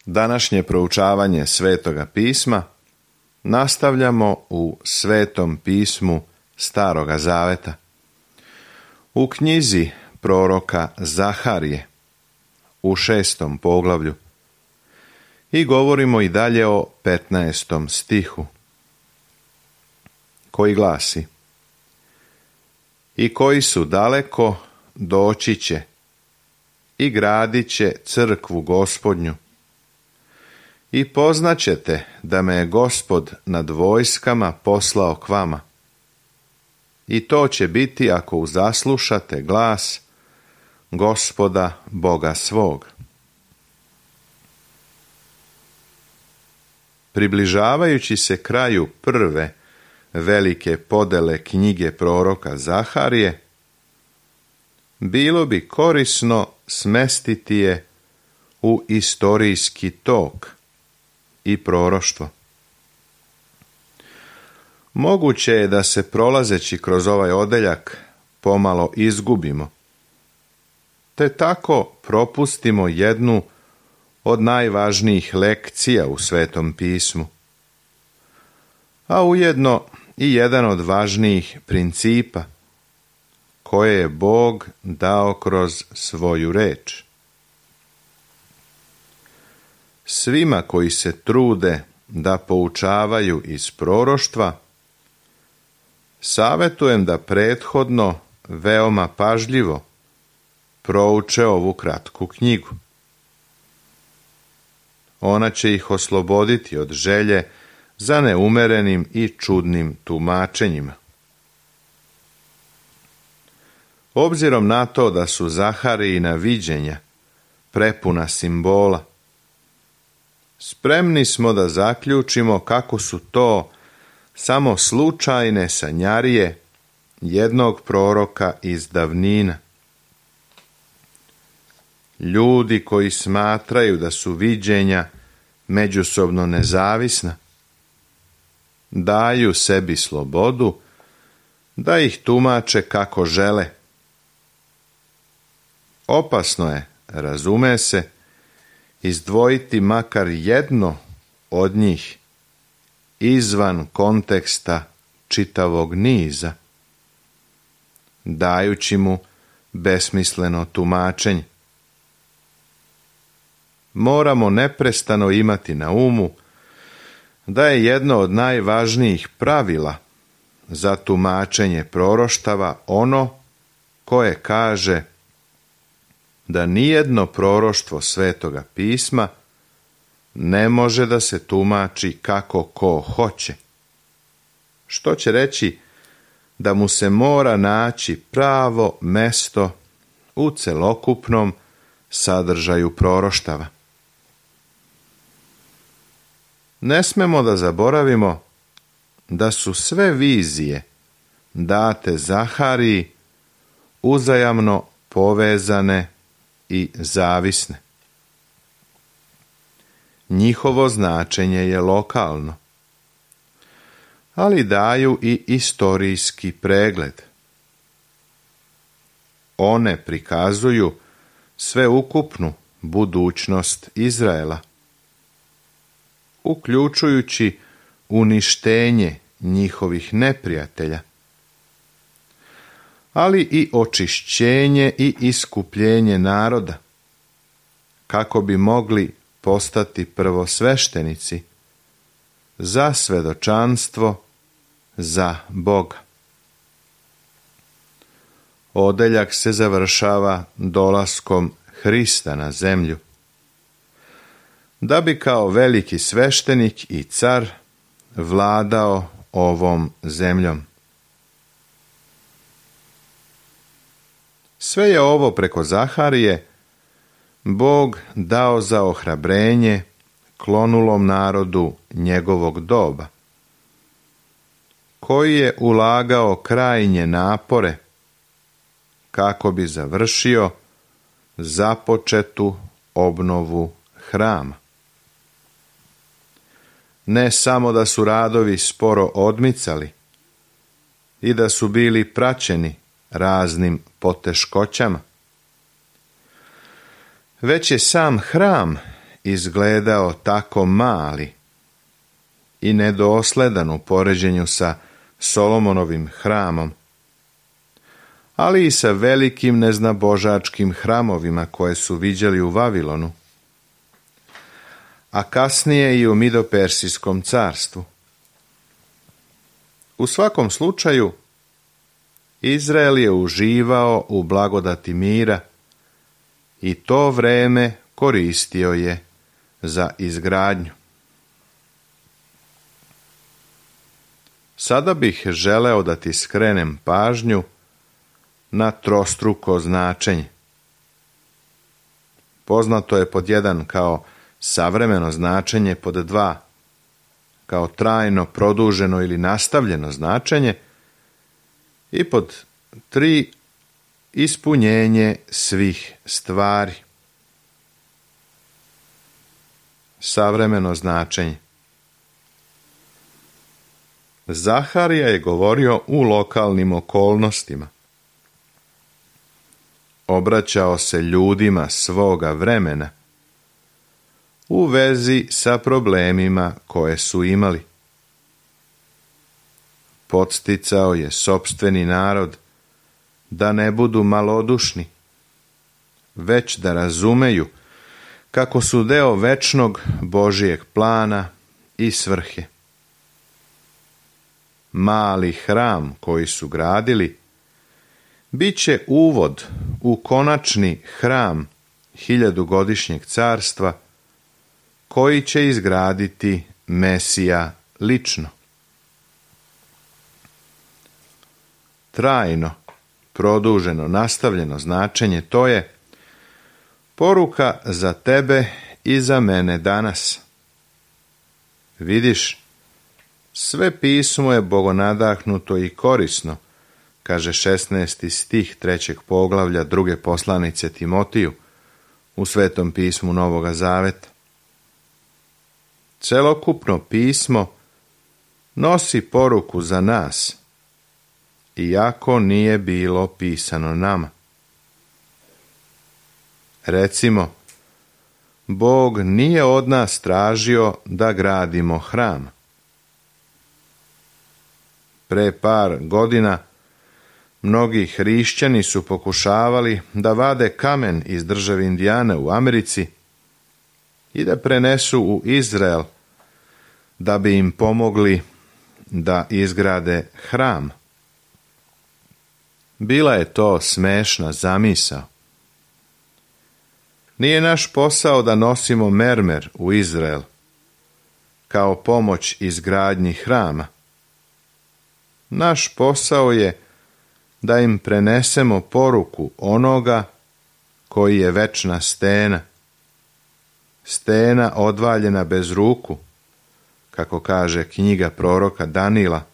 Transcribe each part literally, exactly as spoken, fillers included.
Današnje proučavanje Svetoga pisma nastavljamo u Svetom pismu Staroga zaveta. U knjizi proroka Zaharije u šestom poglavlju i govorimo i dalje o petnaestom stihu koji glasi: I koji su daleko doći će i gradit će crkvu Gospodnju. I poznaćete da me je Gospod nad vojskama poslao k vama. I to će biti ako uzaslušate glas Gospoda Boga svog. Približavajući se kraju prve velike podele knjige proroka Zaharije, bilo bi korisno smestiti je u istorijski tok i proroštvo. Moguće je da se prolazeći kroz ovaj odeljak pomalo izgubimo, te tako propustimo jednu od najvažnijih lekcija u Svetom pismu, a ujedno i jedan od važnijih principa koje je Bog dao kroz svoju reč. Svima koji se trude da poučavaju iz proroštva, savjetujem da prethodno veoma pažljivo prouče ovu kratku knjigu. Ona će ih osloboditi od želje za neumerenim i čudnim tumačenjima. Obzirom na to da su Zaharijina viđenja prepuna simbola, spremni smo da zaključimo kako su to samo slučajne sanjarije jednog proroka iz davnina. Ljudi koji smatraju da su viđenja međusobno nezavisna, daju sebi slobodu da ih tumače kako žele. Opasno je, razume se, izdvojiti makar jedno od njih izvan konteksta čitavog niza, dajući mu besmisleno tumačenje. Moramo neprestano imati na umu da je jedno od najvažnijih pravila za tumačenje proroštava ono koje kaže da nijedno proroštvo Svetoga pisma ne može da se tumači kako ko hoće, što će reći da mu se mora naći pravo mesto u celokupnom sadržaju proroštava. Ne smemo da zaboravimo da su sve vizije date Zahariji uzajamno povezane i zavisne. Njihovo značenje je lokalno, ali daju i istorijski pregled. One prikazuju sveukupnu budućnost Izraela, uključujući uništenje njihovih neprijatelja, ali i očišćenje i iskupljenje naroda, kako bi mogli postati prvosveštenici za svedočanstvo za Boga. Odeljak se završava dolaskom Hrista na zemlju, da bi kao veliki sveštenik i car vladao ovom zemljom. Sve je ovo preko Zaharije Bog dao za ohrabrenje klonulom narodu njegovog doba, koji je ulagao krajnje napore kako bi završio započetu obnovu hrama. Ne samo da su radovi sporo odmicali i da su bili praćeni raznim poteškoćama, već je sam hram izgledao tako mali i nedosledan u poređenju sa Solomonovim hramom, ali i sa velikim neznabožačkim hramovima koje su viđali u Vavilonu, a kasnije i u Midopersijskom carstvu. U svakom slučaju, Izrael je uživao u blagodati mira i to vreme koristio je za izgradnju. Sada bih želeo da ti skrenem pažnju na trostruko značenje. Poznato je pod jedan kao savremeno značenje, pod dva kao trajno, produženo ili nastavljeno značenje i pod tri ispunjenje svih stvari. Savremeno značenje. Zaharija je govorio u lokalnim okolnostima. Obraćao se ljudima svoga vremena u vezi sa problemima koje su imali. Podsticao je sopstveni narod da ne budu malodušni, već da razumeju kako su deo večnog Božijeg plana i svrhe. Mali hram koji su gradili bit će uvod u konačni hram hiljadugodišnjeg carstva koji će izgraditi Mesija lično. Trajno, produženo, nastavljeno značenje to je poruka za tebe i za mene danas. Vidiš, sve pismo je bogonadahnuto i korisno, kaže šesnaesti stih trećeg poglavlja druge poslanice Timotiju u Svetom pismu Novoga Zaveta. Celokupno pismo nosi poruku za nas, iako nije bilo pisano nama. Recimo, Bog nije od nas tražio da gradimo hram. Pre par godina mnogi hrišćani su pokušavali da vade kamen iz države Indijane u Americi i da prenesu u Izrael da bi im pomogli da izgrade hram. Bila je to smešna zamisao. Nije naš posao da nosimo mermer u Izrael kao pomoć izgradnji hrama. Naš posao je da im prenesemo poruku onoga koji je večna stena, stena odvaljena bez ruku, kako kaže knjiga proroka Danila,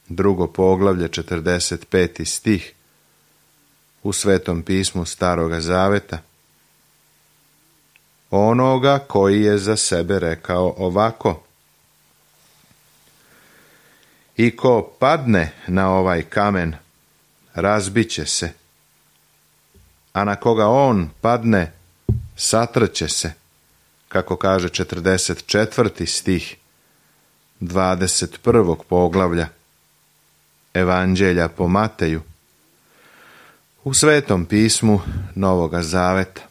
drugo poglavlje, četrdeset peti stih, u Svetom pismu Staroga Zaveta. Onoga koji je za sebe rekao ovako: I ko padne na ovaj kamen, razbiće se, a na koga on padne, satrće se, kako kaže četrdeset četvrti stih dvadeset prvog poglavlja Evanđelja po Mateju u Svetom pismu Novoga Zaveta.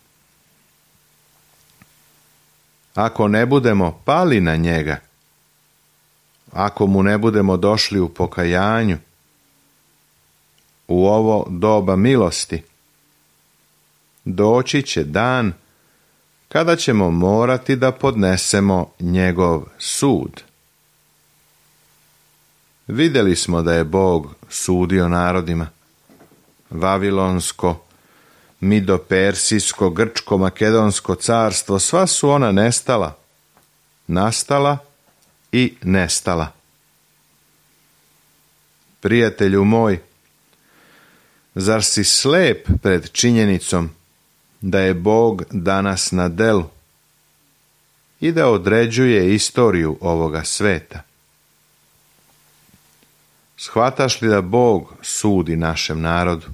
Ako ne budemo pali na njega, ako mu ne budemo došli u pokajanju, u ovo doba milosti, doći će dan kada ćemo morati da podnesemo njegov sud. Vidjeli smo da je Bog sudio narodima. Vavilonsko, Midopersijsko, Grčko, Makedonsko carstvo, sva su ona nestala, nastala i nestala. Prijatelju moj, zar si slep pred činjenicom da je Bog danas na delu i da određuje istoriju ovoga sveta? Shvataš li da Bog sudi našem narodu?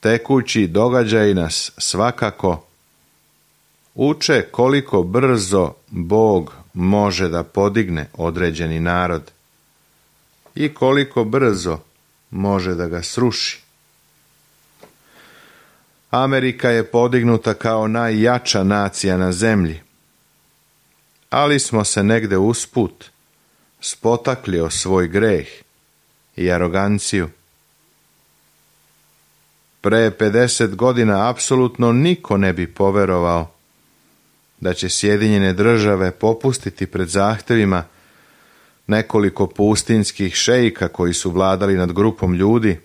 tekući događaji nas svakako uče koliko brzo Bog može da podigne određeni narod i koliko brzo može da ga sruši. Amerika je podignuta kao najjača nacija na zemlji, ali smo se negde usput spotakli o svoj greh i aroganciju. Pre pedeset godina apsolutno niko ne bi poverovao da će Sjedinjene Države popustiti pred zahtevima nekoliko pustinskih šeika koji su vladali nad grupom ljudi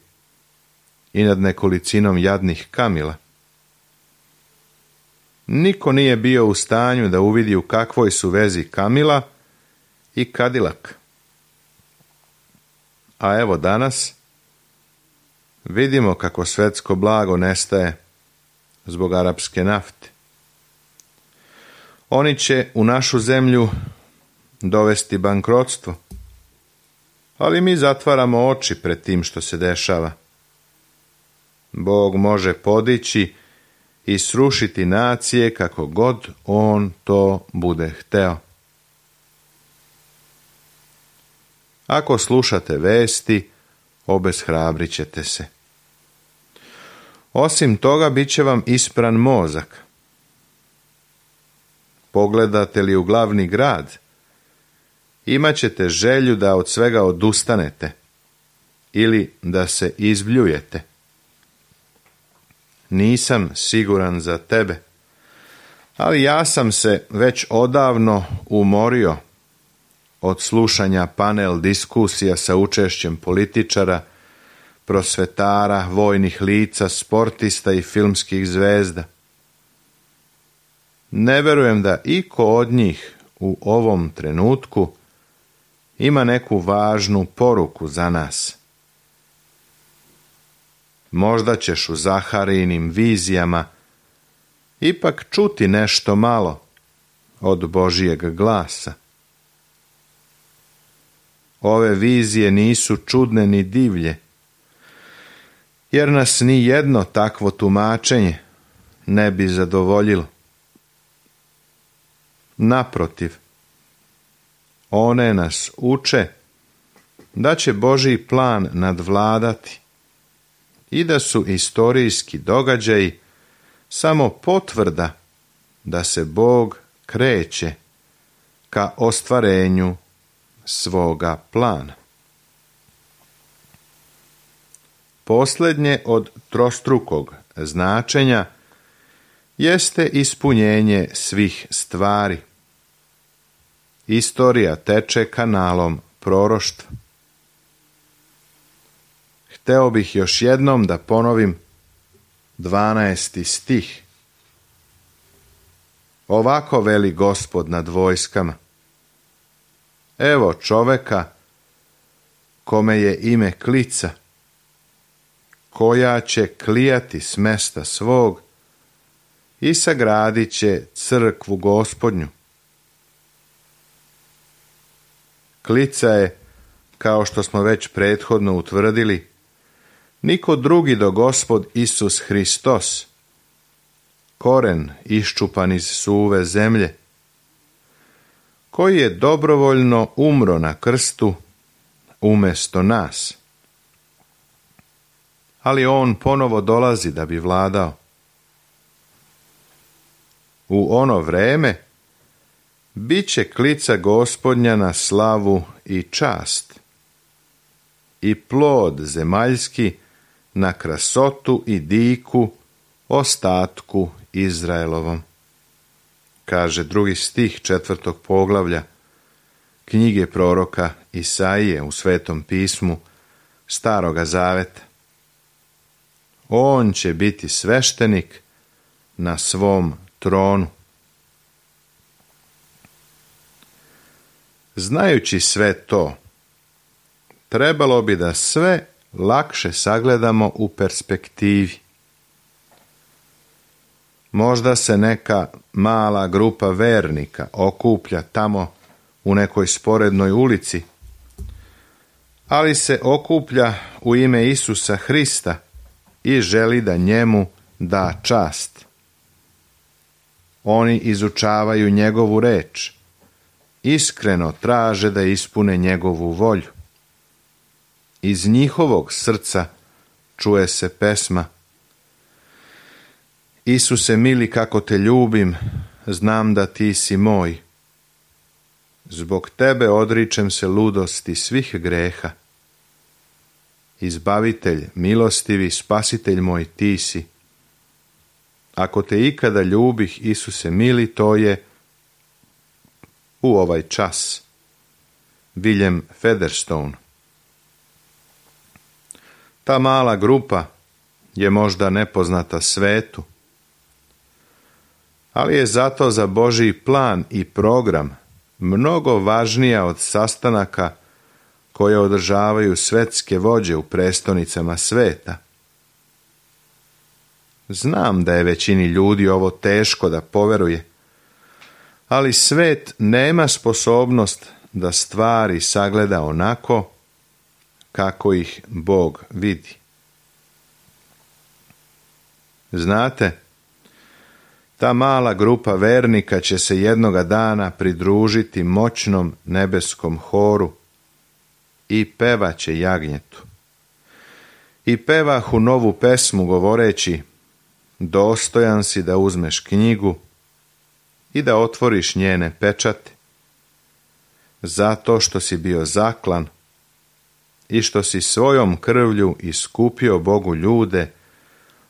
i nad nekolicinom jadnih kamila. Niko nije bio u stanju da uvidi u kakvoj su vezi Kamila i Kadilak. A evo danas vidimo kako svetsko blago nestaje zbog arapske nafte. Oni će u našu zemlju dovesti bankrotstvo, ali mi zatvaramo oči pred tim što se dešava. Bog može podići i srušiti nacije kako god on to bude hteo. Ako slušate vesti, obeshrabrit ćete se. Osim toga, bit će vam ispran mozak. Pogledate li u glavni grad, imat ćete želju da od svega odustanete ili da se izbljujete. Nisam siguran za tebe, ali ja sam se već odavno umorio od slušanja panel diskusija sa učešćem političara, prosvetara, vojnih lica, sportista i filmskih zvezda. Ne verujem da iko od njih u ovom trenutku ima neku važnu poruku za nas. Možda ćeš u Zaharijinim vizijama ipak čuti nešto malo od Božijeg glasa. Ove vizije nisu čudne ni divlje, jer nas ni jedno takvo tumačenje ne bi zadovoljilo. Naprotiv, one nas uče da će Božji plan nadvladati i da su istorijski događaji samo potvrda da se Bog kreće ka ostvarenju svoga plana. Posljednje od trostrukog značenja jeste ispunjenje svih stvari. Istorija teče kanalom proroštva. Hteo bih još jednom da ponovim dvanaesti stih. Ovako veli Gospod nad vojskama. Evo čoveka kome je ime klica, koja će klijati s mesta svog i sagradit će crkvu Gospodnju. Klica je, kao što smo već prethodno utvrdili, niko drugi do Gospod Isus Hristos, koren iščupan iz suve zemlje, koji je dobrovoljno umro na krstu umjesto nas. Ali on ponovo dolazi da bi vladao. U ono vreme bit će klica Gospodnja na slavu i čast i plod zemaljski na krasotu i diku ostatku Izraelovom, kaže drugi stih četvrtog poglavlja knjige proroka Isaije u Svetom pismu Staroga zaveta. On će biti sveštenik na svom tronu. Znajući sve to, trebalo bi da sve lakše sagledamo u perspektivi. Možda se neka mala grupa vernika okuplja tamo u nekoj sporednoj ulici, ali se okuplja u ime Isusa Hrista i želi da njemu da čast. Oni izučavaju njegovu reč, iskreno traže da ispune njegovu volju. Iz njihovog srca čuje se pesma: Isuse mili, kako te ljubim, znam da ti si moj. Zbog tebe odričem se ludosti svih greha. Izbavitelj, milostivi, spasitelj moj ti si. Ako te ikada ljubih, Isuse mili, to je u ovaj čas. William Featherstone. Ta mala grupa je možda nepoznata svetu, ali je zato za Božji plan i program mnogo važnija od sastanaka koje održavaju svetske vođe u prestonicama sveta. Znam da je većini ljudi ovo teško da poveruje, ali svet nema sposobnost da stvari sagleda onako kako ih Bog vidi. Znate, ta mala grupa vernika će se jednoga dana pridružiti moćnom nebeskom horu i pevaće jagnjetu. I pevahu novu pesmu govoreći: dostojan si da uzmeš knjigu i da otvoriš njene pečate, zato što si bio zaklan i što si svojom krvlju iskupio Bogu ljude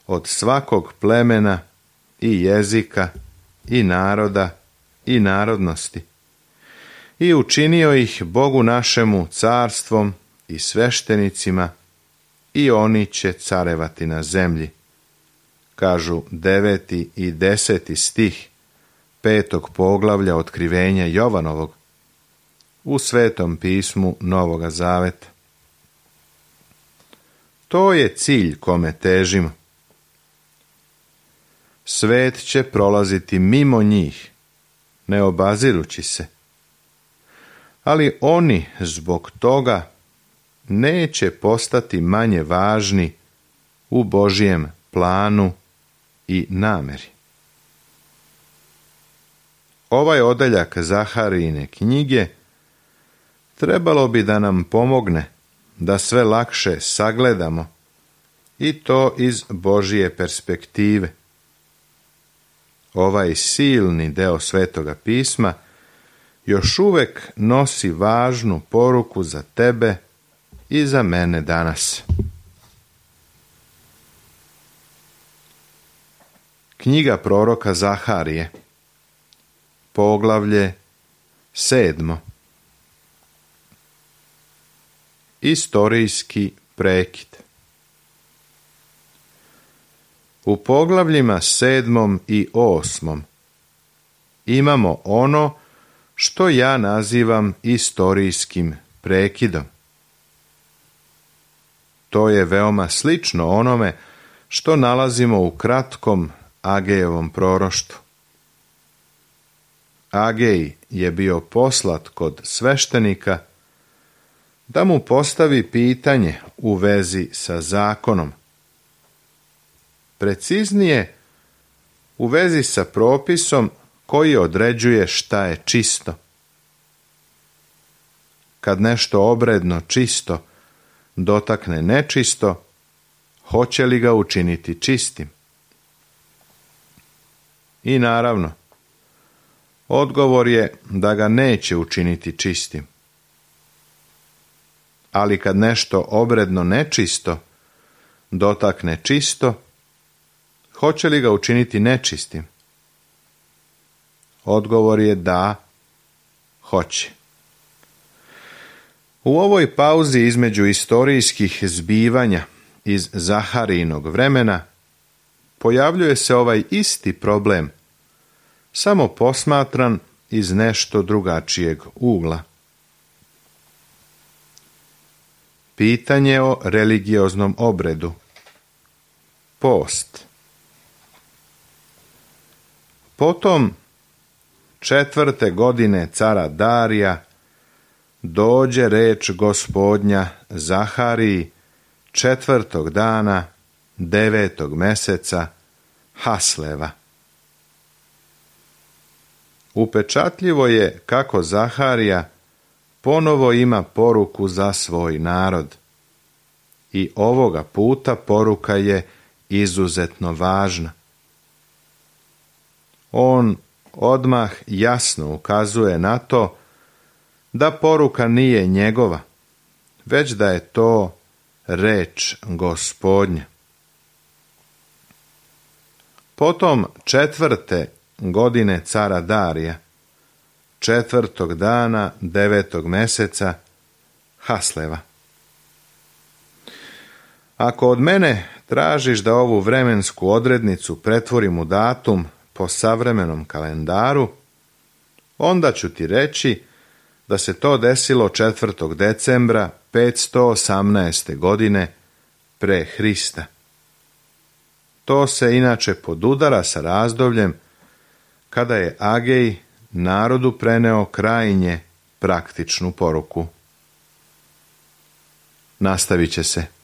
od svakog plemena i jezika i naroda i narodnosti i učinio ih Bogu našemu carstvom i sveštenicima i oni će carevati na zemlji, kažu deveti i deseti stih petog poglavlja otkrivenja Jovanovog u Svetom pismu Novoga Zaveta. To je cilj kome težimo. Svet će prolaziti mimo njih, ne obazirući se, ali oni zbog toga neće postati manje važni u Božjem planu i nameri. Ovaj odeljak Zaharijine knjige trebalo bi da nam pomogne da sve lakše sagledamo i to iz Božje perspektive. Ovaj silni deo Svetoga pisma još uvek nosi važnu poruku za tebe i za mene danas. Knjiga proroka Zaharije, poglavlje sedmo. Istorijski prekid. U poglavljima sedmom i osmom imamo ono što ja nazivam istorijskim prekidom. To je veoma slično onome što nalazimo u kratkom Agejevom proroštvu. Agej je bio poslat kod sveštenika da mu postavi pitanje u vezi sa zakonom. Preciznije, u vezi sa propisom koji određuje šta je čisto. Kad nešto obredno čisto dotakne nečisto, hoće li ga učiniti čistim? I naravno, odgovor je da ga neće učiniti čistim. Ali kad nešto obredno nečisto dotakne čisto, hoće li ga učiniti nečistim? Odgovor je da, hoće. U ovoj pauzi između istorijskih zbivanja iz Zaharijinog vremena pojavljuje se ovaj isti problem, samo posmatran iz nešto drugačijeg ugla. Pitanje o religioznom obredu. Post. Potom četvrte godine cara Darija dođe reč Gospodnja Zahariji četvrtog dana devetog meseca Hasleva. Upečatljivo je kako Zaharija ponovo ima poruku za svoj narod. I ovoga puta poruka je izuzetno važna. On odmah jasno ukazuje na to da poruka nije njegova, već da je to reč Gospodnja. Potom četvrte godine cara Darija, četvrtog dana devetog meseca Hasleva. Ako od mene tražiš da ovu vremensku odrednicu pretvorim u datum po savremenom kalendaru, onda ću ti reći da se to desilo četvrtog decembra petsto osamnaeste. godine pre Hrista. To se inače podudara sa razdobljem kada je Agej narodu preneo krajnje praktičnu poruku. Nastavit će se.